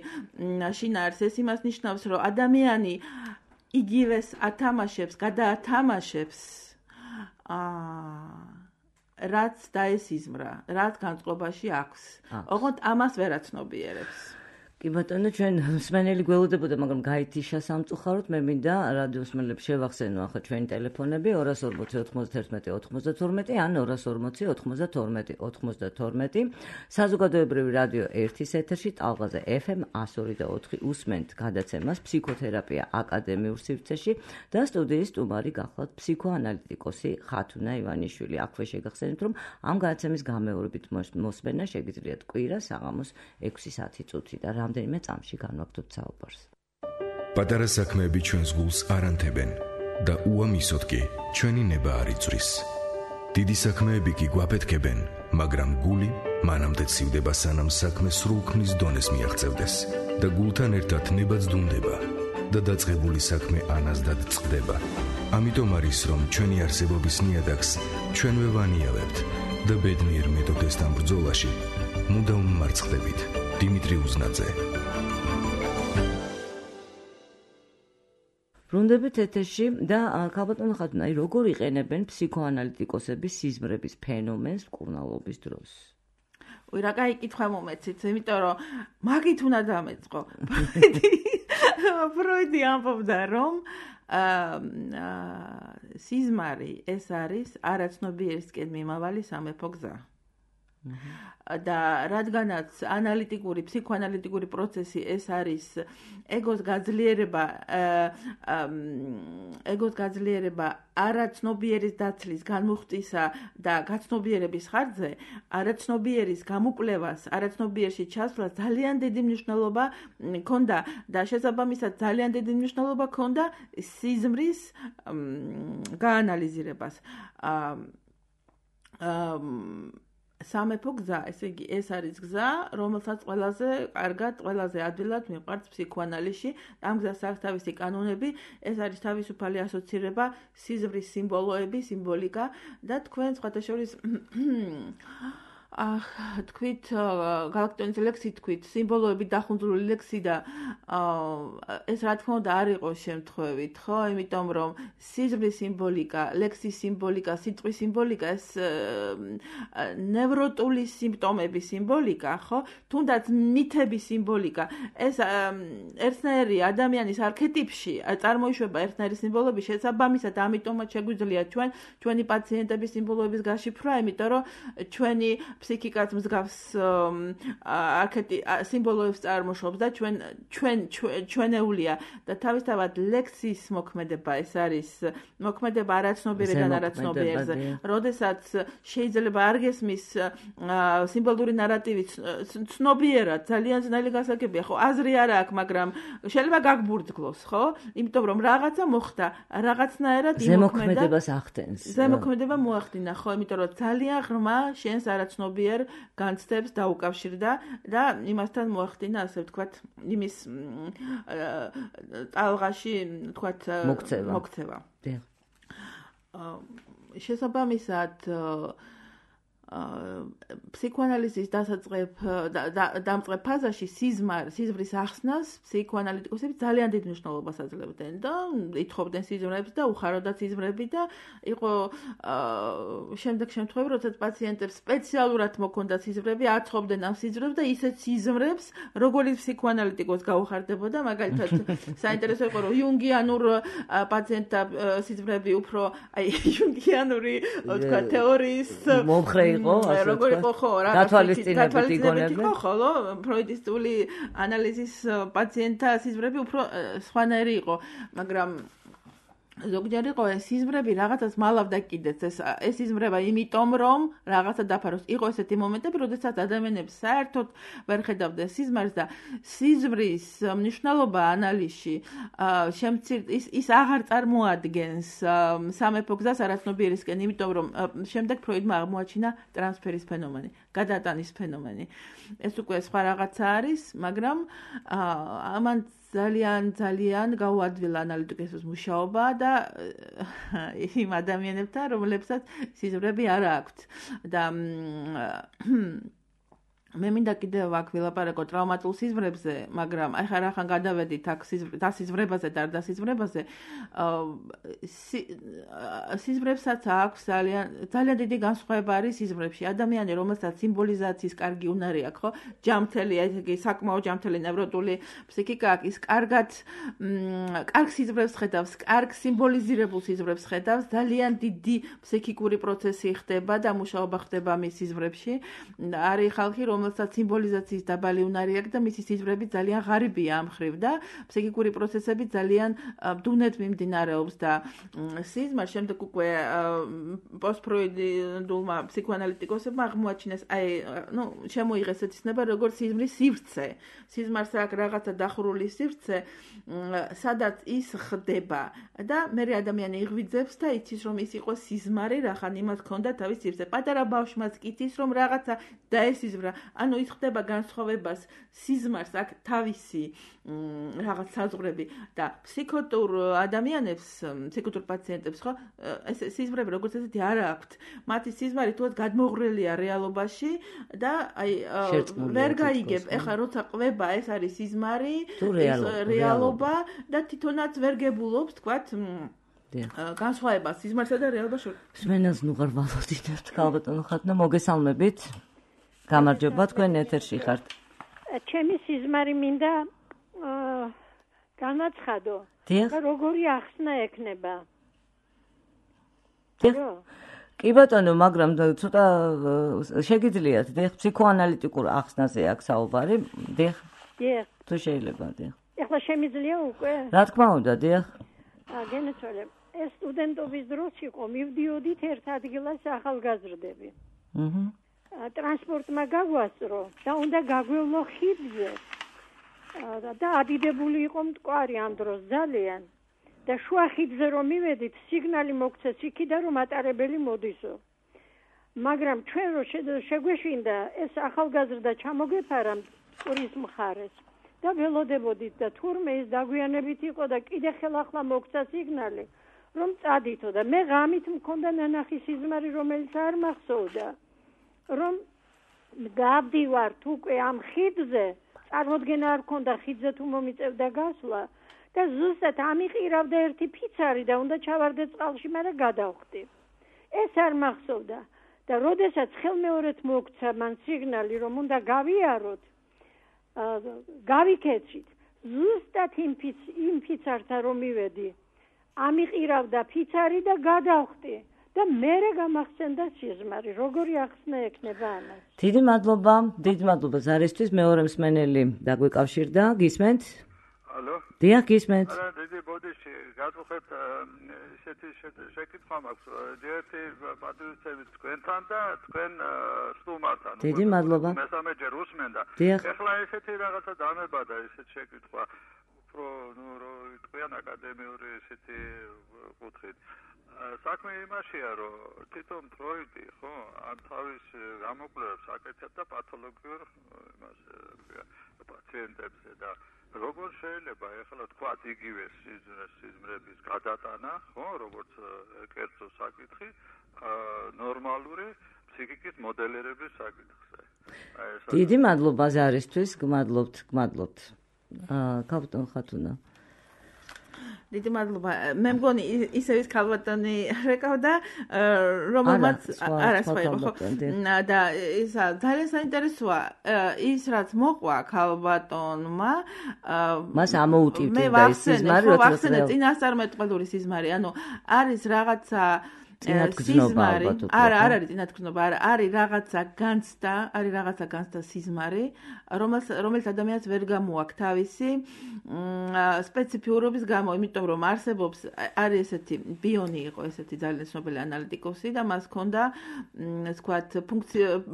შინაარსი. ეს იმას ნიშნავს, რომ ადამიანი იგივეს ათამაშებს, გადაათამაშებს რაც დაესიზმრა, რაც განწყობაში აქვს. ოღონდ ამას ვერაცნობიერებს. კი ბატონო, ჩვენ მსმენელი გველოდებოდა, მაგრამ გაითიშა სამწუხაროდ. მე მინდა რადიოს მსმენელებს შევახსენო ახლა ჩვენი ტელეფონები 240 91 92 ან 240 92 92. საზოგადოებრივი რადიო 1-ის ეთერში ტალღაზე FM 102.4 უსმენთ გადაცემას ფსიქოთერაპია აკადემიურ სივრცეში და სტუდიის სტუმარი გახლავთ ფსიქოანალიტიკოსი ხათუნა ივანიშვილი. აქვე შეგახსენებთ, რომ ამ გადაცემის გამეორებით მოსმენა შეგიძლიათ კვირა საღამოს 6:10 წუთი და რამდენიმე წამში განვაგრძობთ საუბარს. პატარა საქმეები ჩვენს გულს არ ანთებენ და უამისოდ კი ჩვენი ნება არ იწვრის. დიდი საქმეები კი გვაფეთქებენ, მაგრამ გული მანამდე ცივდება, სანამ საქმე სრულქმნის დონეს მიაღწევდეს და გულთან ერთად ნება ძდუნდება და დაწყებული საქმე ანაზდად წყდება. ამიტომ არის, რომ ჩვენი არსებობის ნიადაგს ჩვენვე ვანიავებთ და ბედნიერ მეთოდესთან ბრძოლაში მუდამ მარცხდებით. დიმიტრი უზნაძე. ბრუნდებით ეთერში და ქალბატონო ხატუნაი, როგორ იყენებენ ფსიქოანალიტიკოსები სიზმრების ფენომენს მკურნალობის დროს? რა კაი კითხვა მომეცით, იმიტომ რომ მაგით უნდა დამეწყო. ფროიდი ამბობდა, რომ სიზმარი ეს არის არაცნობიერისკენ მიმავალი სამეფო გზა. და რადგანაც ანალიტიკური, ფსიქოანალიტიკური პროცესი ეს არის ეგოს გაძლიერება არაცნობიერის დაცლის, განმუხტისა და გაცნობიერების ხარჯზე, არაცნობიერის გამოკვლევას, არაცნობიერში ჩასვლას ძალიან დიდი მნიშვნელობა ჰქონდა და შესაბამისად ძალიან დიდი მნიშვნელობა ჰქონდა სიზმრის გაანალიზირებას. სამეფო გზა, ესე იგი, ეს არის გზა, რომელსაც ყველაზე კარგად, ყველაზე ადვილად მიყვარს ფსიქოანალიზში. ამ გზას აქვს თავისი კანონები, ეს არის თავისუფალი ასოცირება, სიზმრის სიმბოლოები, სიმბოლიკა და თქვენ სხვათა შორის თქვით გალაქტიონის ლექსი თქვით, სიმბოლოები დახუნძურული ლექსი და ეს რა თქმა უნდა არ იყოს შემთხვევით, ხო? იმიტომ რომ სიზმრის სიმბოლიკა, ლექსის სიმბოლიკა, სიტყვის სიმბოლიკა ეს ნევროტული სიმპტომების სიმბოლიკა, ხო? თუნდაც მითების სიმბოლიკა, ეს ერთნაირი ადამიანის არქეტიპში წარმოიშვება ერთნაირი სიმბოლოები, შესაბამისად ამიტომაც შეგვიძლია ჩვენი პაციენტების სიმბოლოების გაშიფრვა, იმიტომ რომ ჩვენი ფსიქიკაც მსგავს სიმბოლოებს წარმოშობს და ჩვენეულია და თავისთავად ლექსის მოქმედება ეს არის მოქმედება არაცნობიერიდან არაცნობიერზე. როდესაც შეიძლება არ გესმის სიმბოლური ნარატივი ცნობიერად ძალიან ძნელი გასაგებია, ხო? აზრი არ აქვს, მაგრამ შეიძლება გაგბურთგლოს, ხო? იმიტომ რომ რაღაცა მოხდა, რაღაცნაირად ზემოქმედებას ახდენს. ზემოქმედება მოახდინა, ხო? იმიტომ რომ ძალიან ღრმა შენს არაცნობიერს განცდებს დაუკავშირდა და იმასთან მოახდინა, ასე ვთქვათ, იმის ტალღაში, ვთქვათ, მოქცევა. შესაბამისად ფსიქოანალიზის დამწყებ ფაზაში სიზმრის ახსნას ფსიქოანალიტიკოსები ძალიან დიდ მნიშვნელობას აძლევდნენ და ითხოვდნენ სიზმრებს და უხაროდათ სიზმრები და იყო შემდეგ შემთხვევები, როდესაც პაციენტებს სპეციალურად მოქონდათ სიზმრები, აცხობდნენ ამ სიზმრებს და ისეთ სიზმრებს, როგორც ფსიქოანალიტიკოს გაუხარდებოდა, მაგალითად საინტერესო იყო, რომ იუნგიანურ პაციენტთა სიზმრები უფრო იუნგიანური, ვთქვათ, თეორიის მომხრე როგორ იყო ხო რა დათვალისწინებით იგონებდნენ ხოლო ფროიდისტული ანალიზის პაციენტთა სიზმრები უფრო სხვანაირი იყო, მაგრამ ზოგჯერ იყო ეს სიზმრები რაღაცას მალავდა კიდეც ეს სიზმრება იმიტომ რომ რაღაცა დაფაროს. იყო ესეთი მომენტები, როდესაც ადამიანებს საერთოდ ვერ ხედავდნენ სიზმარს და სიზმრის მნიშვნელობა ანალიზში ის აღარ წარმოადგენს სამეფო გზას არაცნობიერისკენ, იმიტომ რომ შემდეგ ფროიდმა აღმოაჩინა ტრანსფერის ფენომენი, გადატანის ფენომენი. ეს უკვე სხვა რაღაცა არის, მაგრამ ამან ძალიან გაუადვილა ანალიტიკოსის მუშაობა და იმ ადამიანებთან, რომლებსაც სიზმრები არ აქვთ. და მე მინდა კიდევ აქ ვილაპარაკო ტრავმატულ სიზმრებზე, მაგრამ ახლა რახან გადავედით აქ დასიზმრებაზე და არ დასიზმრებაზე, სიზმრებსაც აქვს ძალიან დიდი განსხვავება არის სიზმრებში. ადამიანი, რომელსაც სიმბოლიზაციის კარგი უნარი აქვს, ხო? ჯამთელი, ესე საკმაოდ ჯამთელი ნევროტული ფსიქიკა აქვს, ის კარგ სიზმრებს ხედავს, კარგ სიმბოლიზირებულ სიზმრებს ხედავს, ძალიან დიდი ფსიქიკური პროცესი ხდება და მუშაობა ხდება მის სიზმრებში. არის ხალხი, რომელსაც სიმბოლიზაციის დაბალი უნარი აქვს და მისი სიზმრები ძალიან ღარიბია ამ მხრივ და ფსიქიკური პროცესები ძალიან ბდუნად მიმდინარეობს და სიზმარ შემდეგ უკვე პოსტფროიდულმა ფსიქოანალიტიკოსებმა აღმოაჩინეს შემოიღეს ეს ცნება როგორც სიზმრის სივრცე. სიზმარს აქვს რაღაცა დახურული სივრცე, სადაც ის ხდება და მე ადამიანი იღვიძებს და იცის რომ ის იყო სიზმარი, რახან იმას ჰქონდა თავის სივრცე. პატარა ბავშვმაც იცის რომ რაღაცა დაესიზმრა. ანუ ის ხდება განსხვავებას სიზმარს აქვს თავისი რაღაც საზღვრები და ფსიქოტურ ადამიანებს, ფსიქოტურ პაციენტებს ხო ეს სიზმრები როგორც ესეთი არ აქვთ. მათი სიზმარი თუნდაც გადმოღრელია რეალობაში და ვერ გაიგებ. ეხლა როცა ყვება ეს არის სიზმარი, რეალობა და თვითონაც ვერ გებულობს, თქვათ, განსხვავება სიზმარსა და რეალობას შორის. სმენელს ნუ ღარ ვალოდინებთ, ქალბატონო ხათნა, მოგესალმებით. გამარჯობა, თქვენ ეთერში ხართ. ჩემი სიზმარი მინდა განაცხადო. როგორი ახსნა ექნება? კი ბატონო, მაგრამ ცოტა შეგიძლიათ, დიახ, ფსიქოანალიტიკურ ახსნაზე აქვს საუბარი, დიახ. დიახ. თუ შეიძლება, დიახ. ეხლა შემიძლია უკვე? რა თქმა უნდა, დიახ. გენაცვალე. ეს სტუდენტობის დროს იყო, მივდიოდით ერთ ადგილას ახალგაზრდები. ტრანსპორტმა გაგვასწრო და უნდა გაგვევლო ხიდზე. და ადიდებული იყო მტკვარი ამ დროს ძალიან. და შუა ხიდზე რომ მივედით, სიგნალი მოგცეს იქიდან რომ ატარებელი მოდისო. მაგრამ ჩვენ რო შეგვეშინდა ეს ახალგაზრდა ჩამოგეფარა მტკვრის მხარეს და ველოდებოდით და თურმე ის დაგვიანებით იყო და კიდე ხელახლა მოგცა სიგნალი რომ წადითო და მე ღამით მქონდა ნანახი სიზმარი რომელიც არ მახსოვდა რომ გავდივართ უკვე ამ ხიდზე წარმოდგენა არ ქონდა ხიდზე თუ მომიწევდა გასვლა და ზუსტად ამიყირავდა ერთი ფიცარი და უნდა ჩავარდე წყალში, მაგრამ გადავხდი. ეს არ მახსოვდა და როდესაც ხელმეორედ მოგცა მან სიგნალი რომ უნდა გავიაროთ, გავიქეცით. ზუსტად იმ ფიცართან რომ მივედი, ამიყირავდა ფიცარი და გადავხდი. და მერე გამახსენდა სიზმარი, როგორი ახსნა ექნება ამას. დიდი მადლობა ზარისთვის, მეორე მსმენელი დაგვეკავშირდა, გისმენთ? ალო? დიახ, გისმენთ. არა, დიდი ბოდიში, გადავხეთ ესეთი შეკითხვა მაქვს, ერთი პატრიოტები თქვენთან და თქვენ სტუმართან. დიდი მადლობა. მესამე ჯერ უსმენდა. ეხლა ესეთი რაღაცა დამებადა ესეთი შეკითხვა, უფრო თქვენ აკადემიური ესეთი კუთხით. საქმე იმაშია, რომ თვითონ ფროიდი, ხო, ამ თავის გამოკვლევებს აკეთებდა პათოლოგიურ იმას პაციენტებზე და როგორ შეიძლება ეხლა თქვა იგივე სიზმრების გადატანა, ხო, როგორც კერძო საკითხი, ნორმალური ფსიქიკის მოდელირების საკითხზე. დიდი მადლობა ზარისთვის, გმადლობთ. ქალბატონ ხათუნა. დიდი მადლობა. მე მგონი ისევ ის ქალბატონი რეკავდა, რომელმაც არა სხვა იყო, ხო? და ის ძალიან საინტერესოა ის რაც მოყვა ქალბატონმა, მას ამოუტივდა ის სიზმარი, როცა წინასწარმეტყველური სიზმარი, ანუ არის რაღაცა სიზმარი, არ არის წინათქმულობა, არის რაღაცა განცდა სიზმარი, რომელიც ადამიანს ვერ გამოაქვს თავისი სპეციფიურობის გამო, იმიტომ რომ არსებობს არის ესეთი ბიონი იყო ესეთი ძალიან ცნობილი ანალიტიკოსი და მას ჰქონდა თქვათ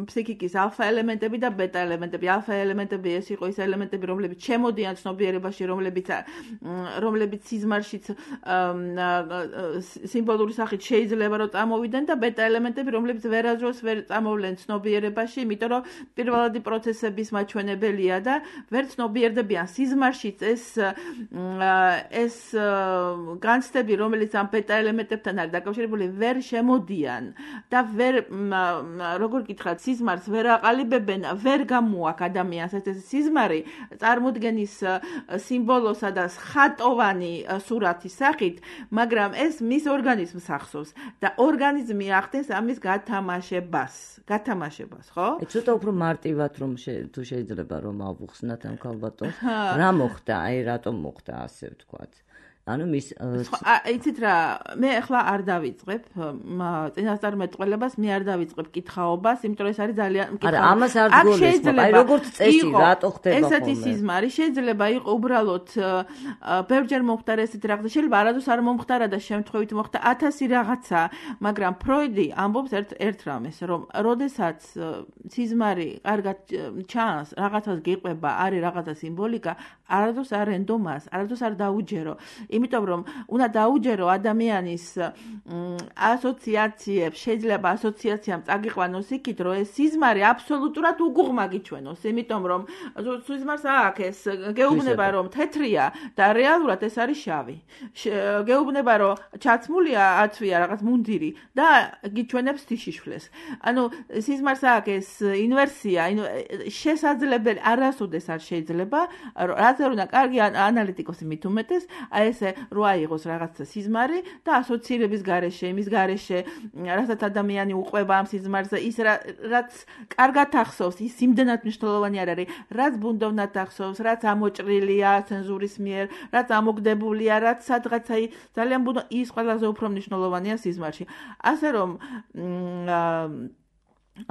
ფსიქიკის ალფა ელემენტები და ბეტა ელემენტები. ალფა ელემენტები ეს იყო ის ელემენტები, რომლებიც შემოდიან ცნობიერებაში, რომლებიც სიზმარშიც სიმბოლური სახით შეიძლება რომ წამოვიდნენ და ბეტა ელემენტები, რომლებიც ვერასდროს ვერ წამოვლენ ცნობიერებაში, იმიტომ რომ პირველადი პროცესების მაჩვენებელია და ვერ ცნობიერდებიან სიზმარშიც ეს განცდები, რომელიც ამ ბეტა ელემენტებთან არის დაკავშირებული, ვერ შემოდიან და ვერ როგორ გითხრათ, სიზმარს ვერ აყალიბებენ, ვერ გამოაქვს ადამიანს ეს სიზმარი წარმოდგენის სიმბოლოსა და ხატოვანი სურათის სახით, მაგრამ ეს მის ორგანიზმს ახსოვს და ორგანიზმი ახდენს ამის გათამაშებას, ხო? ცოტა უფრო მარტივად რომ თუ შეიძლება რომ ავუხსნათ ამ ქალბატონს, რა მოხდა, რატომ მოხდა ასე ვთქვათ. ანუ მის იცით რა, მე ახლა არ დავიწყებ წინასწარმეტყველებას, მე არ დავიწყებ კითხაობას, იმიტომ რომ ეს არის ძალიან არა, ამას არ გგონდეს, აი როგორც წესი, რატო ხდება ხოლმე. ესეთი სიზმარი შეიძლება იყო უბრალოდ ბევრჯერ მომხდარა ესეთი რაღაცა, შეიძლება არადოს არ მომხდარა და შემთხვევით მოხდა 1000 რაღაცა, მაგრამ ფროიდი ამბობს ერთ რამეს, რომ როდესაც სიზმარი კარგად ჩანს, რაღაცას გიყვება, არის რაღაცა სიმბოლიკა, არადოს არ ენდომას, არადოს არ დაუჯერო. იმიტომ რომ უნდა დაუჯერო ადამიანის ასოციაციებს, შეიძლება ასოციაციამ წაგიყვანოს იქით, რომ ეს სიზმარი აბსოლუტურად უგუღმა გიჩვენოს, იმიტომ რომ სიზმარს აქვს ეს გეუბნება რომ თეთრია და რეალურად ეს არის შავი. გეუბნება რომ ჩაცმულია ათვია რაღაც მუნდირი და გიჩვენებს თიშიშვლეს. ანუ სიზმარს აქვს ეს ინვერსია, შესაძლებელი არასოდეს არ შეიძლება, რაც არ უნდა კარგი ანალიტიკოსი მით უმეტეს, აი ეს რო აიღოს რაღაცა სიზმარი და ასოცირების გარეშე, იმის გარეშე, რასაც ადამიანი უყვება ამ სიზმარზე, ის რაც კარგად ახსოვს, ის იმდენად მნიშვნელოვანი არ არის, რაც ბუნდოვნად ახსოვს, რაც ამოჭრილია ცენზურის მიერ, რაც ამოგდებულია, რაც სადღაც აი ძალიან ის ყველაზე უფრო მნიშვნელოვანია სიზმარში. ასე რომ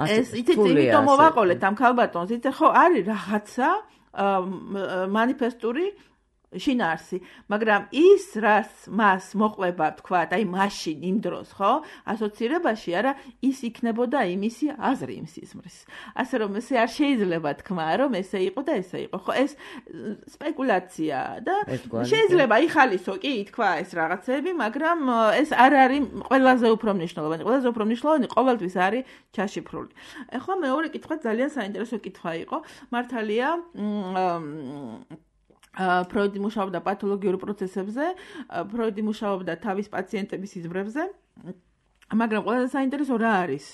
ეს იცით, იმიტომ მოვაყოლეთ ამ ქალბატონს, იცით ხო არის რაღაცა მანიფესტური შინაარსი, მაგრამ ის რაც მას მოყვება, თქვა, აი მაშინ იმ დროს, ხო? ასოცირებაში არა, ის იქნებოდა იმისი აზრი იმ სიზმრის. ასე რომ ესე არ შეიძლება თქვა, რომ ესე იყო და ესე იყო. ხო, ეს სპეკულაცია და შეიძლება იხალისო კი თქვა ეს რაღაცები, მაგრამ ეს არ არის ყველაზე უფრო მნიშვნელოვანი. ყველაზე უფრო მნიშვნელოვანი ყოველთვის არის ჩაშიფრული. ეხლა მეორე კითხვა ძალიან საინტერესო კითხვა იყო. მართალია ფროიდი მუშაობდა პათოლოგიურ პროცესებზე, ფროიდი მუშაობდა თავის პაციენტების სიზმრებზე, მაგრამ ყველაზე საინტერესო რა არის,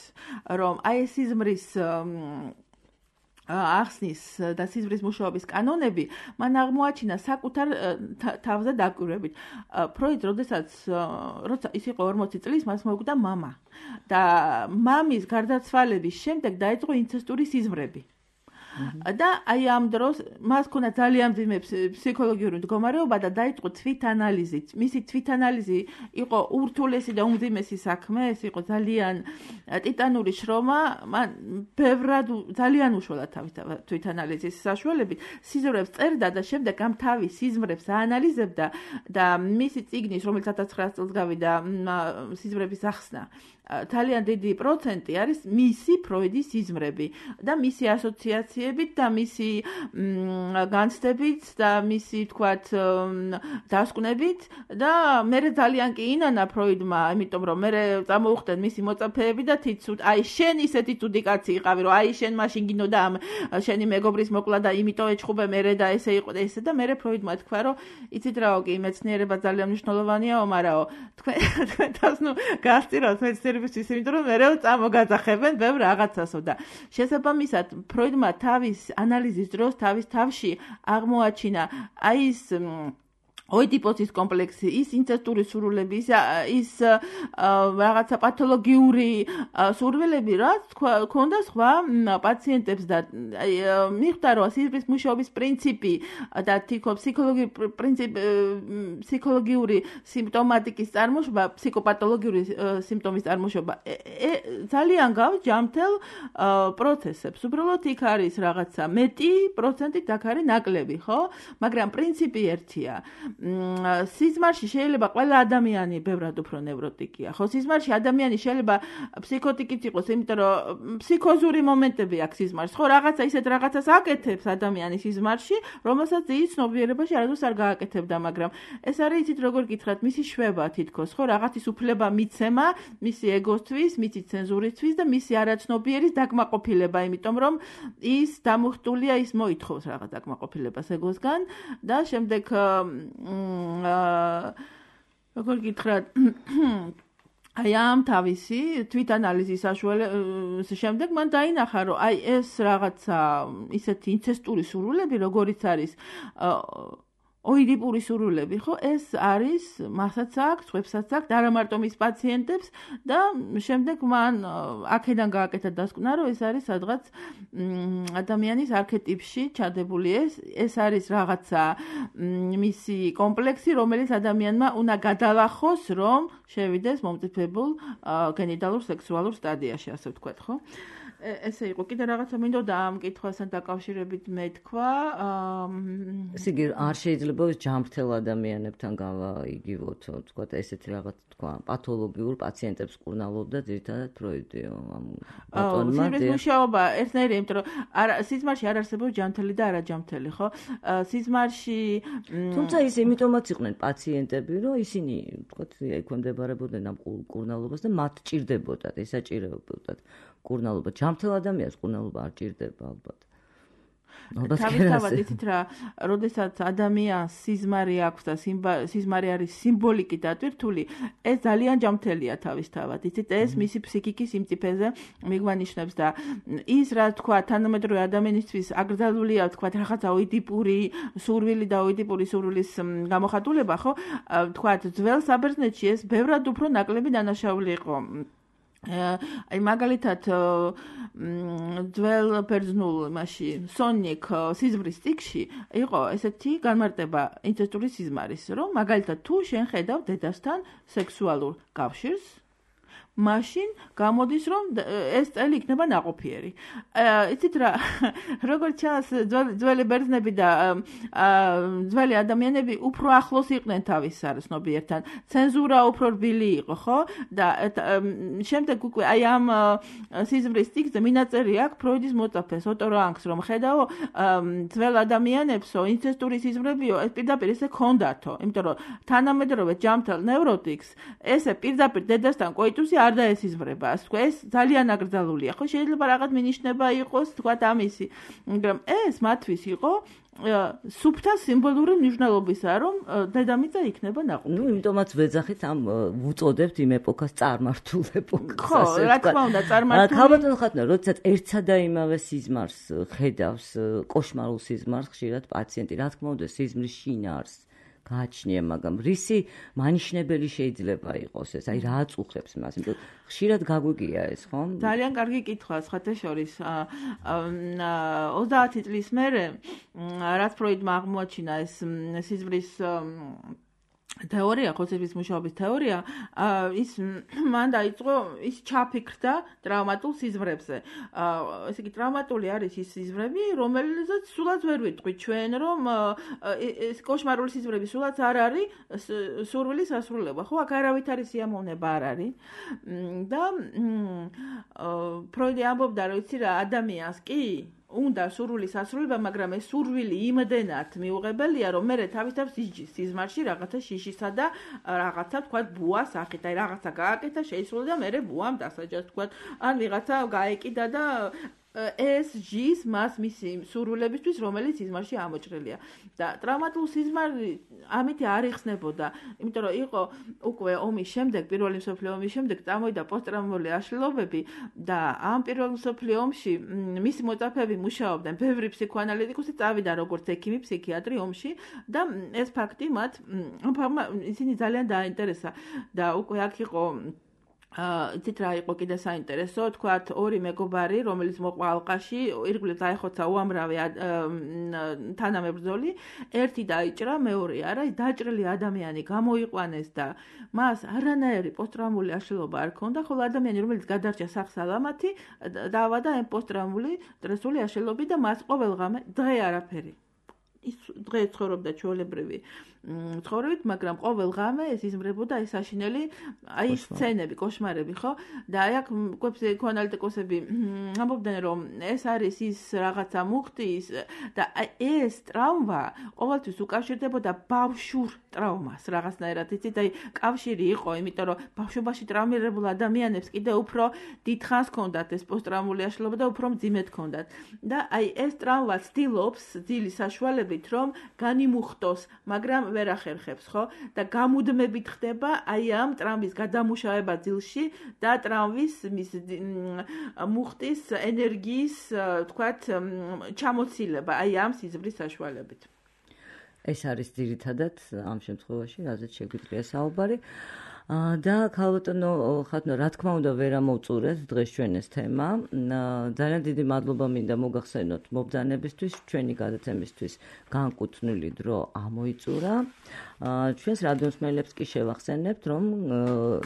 რომ აი ეს სიზმრის ახსნის და სიზმრის მუშაობის კანონები მან აღმოაჩინა საკუთარ თავზე დაკვირვებით. ფროიდ როცა ის იყო 40 წლის, მას მოუკვდა მამა და მამის გარდაცვალების შემდეგ დაიწყო ინცესტური სიზმრები. და აი ამ დროს მას ქონა ძალიან მძიმე ფსიქოლოგიური მდგომარეობა და დაიწყო თვითანალიზი. მისი თვითანალიზი იყო ურთულესი და უმძიმესი საქმე, ეს იყო ძალიან ტიტანური შრომა, მან ბევრად ძალიან უშველა თავის თვითანალიზის საშუალებით სიზმრებს წერდა და შემდეგ ამ თავის სიზმრებს აანალიზებდა და მისი წიგნის, რომელიც 1900 წელს გავიდა, სიზმრების ახსნა, ძალიან დიდი პროცენტი არის მისი ფროიდის სიზმრები და მისი ასოციაციებით და მისი განცდებით და მისი თქვათ დასკვნებით და მე ძალიან კი ინანა ფროიდმა, იმიტომ რომ მე წამოუხდნენ მისი მოწაფეები და თითქოს აი შენ ისეთი თუდი კაცი იყავი, რომ აი შენ მაშინ გინდოდა ამ შენი მეგობრის მოკლა და იმიტომ ეჩხუბე მე და ესე იყო და ესე და მე ფროიდმა თქვა, რომ იცით რაო კი მეცნიერება ძალიან მნიშვნელოვანიაო, მარაო თქვენ თავს ნუ გასწირავთ მეცნიერების იმიტომ რომ მერე წამოგაძახებენ ბევრ რაღაცასო და შესაბამისად ფროიდმა თავის ანალიზის დროს თავის თავში აღმოაჩინა აი ეს ოიდიპოსის კომპლექსი, ის ინცესტური სურვილები, ის რაღაცა პათოლოგიური სურვილები, რაც ქონდა სხვა პაციენტებს და მიხვდა რომ სიზმრის მუშაობის პრინციპი და ფსიქოლოგიური სიმპტომატიკის წარმოშობა, ფსიქოპათოლოგიური სიმპტომის წარმოშობა ძალიან გავს ჯამთელ პროცესებს. უბრალოდ იქ არის რაღაცა მეტი პროცენტით აქ არის ნაკლები, ხო? მაგრამ პრინციპი ერთია. სიზმარში შეიძლება ყველა ადამიანი ბევრად უფრო ნევროტიკია. ხო, სიზმარში ადამიანი შეიძლება ფსიქოტიკიც იყოს, იმიტომ რომ ფსიქოზური მომენტები აქვს სიზმარში. ხო, რაღაცა ისეთ რაღაცას აკეთებს ადამიანი სიზმარში, რომელსაც ის ცნობიერებაში არასდროს არ გააკეთებდა, მაგრამ ეს არის იცით როგორ გითხრათ, მისი შვება თითქოს, ხო, რაღაცის უფლება მიცემა, მისი ეგოსთვის, მისი ცენზურისთვის და მისი არაცნობიერის დაკმაყოფილება, იმიტომ რომ ის დამუხტულია, ის მოითხოვს რაღაც დაკმაყოფილებას ეგოსგან და შემდეგ როგორ გითხრათ აი ამ თავისი თვითანალიზის შემდეგ მან დაინახა რომ აი ეს რაღაცა ისეთი ინცესტური სურვილები როგორიც არის ოიდიპური სურვილები, ხო? ეს არის მასაც აქვს, ხუებსაც აქვს, და არა მარტო მის პაციენტებს და შემდეგ მან აქედან გააკეთა დასკვნა, რომ ეს არის სადღაც ადამიანის არქეტიპში ჩადებული ეს არის რაღაცა მისი კომპლექსი, რომელიც ადამიანმა უნდა გადალახოს, რომ შევიდეს მომწიფებულ გენიტალურ სექსუალურ სტადიაში, ასე ვთქვათ, ხო? ესე იყო, კიდე რაღაცა მინდოდა ამ კითხვასთან დაკავშირებით მეთქვა. ესე იგი, არ შეიძლება ჯამრთელ ადამიანებთან გავაიგივოთ, თქვა ესეთი რაღაც, თქვა, პათოლოგიურ პაციენტებს კურნალობდა ძირითადად ფროიდიო ამ ბატონმა. სიზმრის მუშაობა ერთნაირი, იმიტომ რომ სიზმარში არ არსებობს ჯამრთელი და არაჯამრთელი, ხო? სიზმარში თუმცა ის იმიტომაც იყვნენ პაციენტები, რომ ისინი, თქვა, ექვემდებარებოდნენ ამ კურნალობას და მათ ჭირდებოდათ, ესაჭირებოდათ კურნალობა. ჯამრთელ ადამიანს კურნალობა არ ჭირდება ალბათ. თავისთავად იცით რა, როდესაც ადამიანს სიზმარი აქვს და სიზმარი არის სიმბოლიკით დატვირთული, ეს ძალიან ჯამრთელია თავისთავად. იცით, ეს მისი ფსიქიკის სიმწიფეზე მიგვანიშნებს და ის რა თქვა, თანამედროვე ადამიანისთვის აკრძალულია, თქვა, რაღაცა ოიდიპური სურვილი და ოიდიპური სურვილის გამოხატულება, ხო? თქვა, ძველ საბერძნეთში ეს ბევრად უფრო ნაკლები დანაშაული იყო. აი მაგალითად ძველ ბერძნულ მასში სონიკ სიზმრის წიგნში იყო ესეთი განმარტება ინცესტური სიზმარის, რომ მაგალითად თუ შენ ხედავ დედასთან სექსუალურ კავშირს, მაშინ გამოდის, რომ ეს წელი იქნება ნაყოფიერი. იცით რა, როგორც ჩანს, ძველი ბერძნები და ძველი ადამიანები უფრო ახლოს იყვნენ თავის სარცნობიერთან. ცენზურა უფრო რბილი იყო, ხო? და შემდეგ უკვე აი ამ სიზმრის წიგნზე მინაწერი აქვს ფროიდის მოწაფეს ოტო რანგს, რომ ხედავო ძველ ადამიანებსო, ინცესტური სიზმრებიო, ეს პირდაპირ ესე ქონდათო, იმიტომ რომ თანამედროვე ჯამრთელ ნევროტიკს ესე პირდაპირ დედასთან კოიტუსი არ დაესიზმრება, ასე თქვა, ეს ძალიან აკრძალულია, ხო? შეიძლება რაღაც მინიშნება იყოს, თქვა, ამისი, მაგრამ ეს მათთვის იყო სუფთა სიმბოლური მნიშვნელობისა, რომ დედამიწა იქნება ნაყოფიერი. ნუ იმიტომაც ვეძახით ამ უწოდებთ იმ ეპოქას წარმართულ ეპოქას. ხო, რა თქმა უნდა, წარმართული. ქალბატონ ხატნა, როდესაც ერთსა და იმავე სიზმარს ხედავს, კოშმარულ სიზმარს ხშირად პაციენტი, რა თქმა უნდა, სიზმრის შინაარსს გააჩნია, მაგრამ რისი მანიშნებელი შეიძლება იყოს ეს? აი რა აწუხებს მას? იმიტომ ხშირად გაგვიგია ეს, ხო? ძალიან კარგი კითხვა, სხვათა შორის. 30 წლის მერე, რაც ფროიდმა აღმოაჩინა ეს სიზმრის თეორია, ხოცების მუშაობის თეორია, ის მან დაიწყო, ის ჩაფიქრდა ტრავმატულ სიზმრებზე. ესე იგი, ტრავმატული არის ის სიზმრები, რომელზეც სულაც ვერ ვიტყვით ჩვენ, რომ ეს კოშმარული სიზმრები სულაც არ არის სურვილის ასრულება. ხო, აქ არავითარი სიამოვნება არ არის. და ფროიდი ამბობდა, რომ იცი რა, ადამიანს კი უნდა სურვილის ასრულება, მაგრამ ეს სურვილი იმდენად მიუღებელია, რომ მე თავისთავად სიზმარში რაღაცა შიშისა და რაღაცა თქვა ბუას ახეთ, აი რაღაცა გააკეთა, შეისრულა და მე ბუამ დასაჯას თქვა, ან ვიღაცა გაეკიდა და ეს ჟის მას მისი სურვილებისთვის, რომელიც სიზმარში ამოჭრილია. და ტრავმატულ სიზმარი ამითი არ იხსნებოდა, იმიტომ რომ იყო უკვე ომის შემდეგ, პირველი მსოფლიო ომის შემდეგ წამოვიდა პოსტტრაუმატული აშლილობები და ამ პირველ მსოფლიო ომში მისი მოწაფეები მუშაობდნენ, ბევრი ფსიქოანალიტიკოსი წავიდა როგორც ექიმი, ფსიქიატრი ომში და ეს ფაქტი მათ ისინი ძალიან დააინტერესა და უკვე აქ იყო იცით რა იყო კიდე საინტერესო, თქვათ, ორი მეგობარი, რომელიც მოყვა ალყაში, ირგვლივ დაეხოცა უამრავი თანამებრძოლი, ერთი დაიჭრა, მეორე არა, დაჭრილი ადამიანი გამოიყვანეს და მას არანაირი პოსტტრაუმული აშლილობა არ ჰქონდა, ხოლო ადამიანი, რომელიც გადარჩა სახსალამათი, დაავადა ამ პოსტტრაუმული სტრესული აშლილობით და მას ყოველღამე დღე არაფერი. ის დღე ცხოვრობდა ჩვეულებრივი ცხოვრებით, მაგრამ ყოველღამე ეს იზმრებოდა ეს საშინელი, აი სცენები, კოშმარები, ხო? და აი აქ ფსიქოანალიტიკოსები ამბობდნენ, რომ ეს არის ის რაღაცა მუხტი და ეს ტრავმა ყოველთვის უკავშირდებოდა ბავშვურ ტრავმას, რაღაცნაირად, იცით, აი კავშირი იყო, იმიტომ რომ ბავშვობაში ტრავმირებულ ადამიანებს კიდე უფრო დიდხანს ჰქონდათ ეს პოსტტრაუმული აშლილობა და უფრო მძიმედ ჰქონდათ. და აი ეს ტრავმა ცდილობს ძილის საშუალებით, რომ განიმუხტოს, მაგრამ ვერ ახერხებს, ხო? და გამუდმებით ხდება აი ამ ტრავმის გადამუშავება ძილში და ტრავმის მუხტის ენერგიის, თქვათ, ჩამოცილება აი ამ სიზმრის საშუალებით. ეს არის ძირითადად ამ შემთხვევაში, რაზეც შეგვიძლია საუბარი. და ქალბატონო ხათნო, რა თქმა უნდა, ვერ ამოვწურეთ დღეს ჩვენ ეს თემა. ძალიან დიდი მადლობა მინდა მოგახსენოთ მობრძანებისთვის, ჩვენი გადაცემისთვის განკუთვნილი დრო ამოიწურა. ჩვენს რადიოსმენელებს კი შევახსენებთ, რომ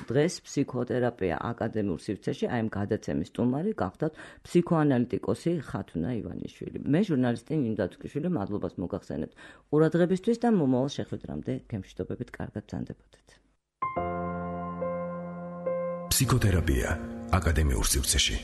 დღეს ფსიქოთერაპია აკადემიურ სივრცეში, აი ამ გადაცემის სტუმარი გახდათ ფსიქოანალიტიკოსი ხათუნა ივანიშვილი. მე ჟურნალისტი ნინო დათუკიშვილი, მადლობას მოგახსენებთ ყურადღებისთვის და მომავალ შეხვედრამდე გემშვიდობებით, კარგად ბრძანდებოდეთ. ფსიქოთერაპია აკადემიურ სივრცეში.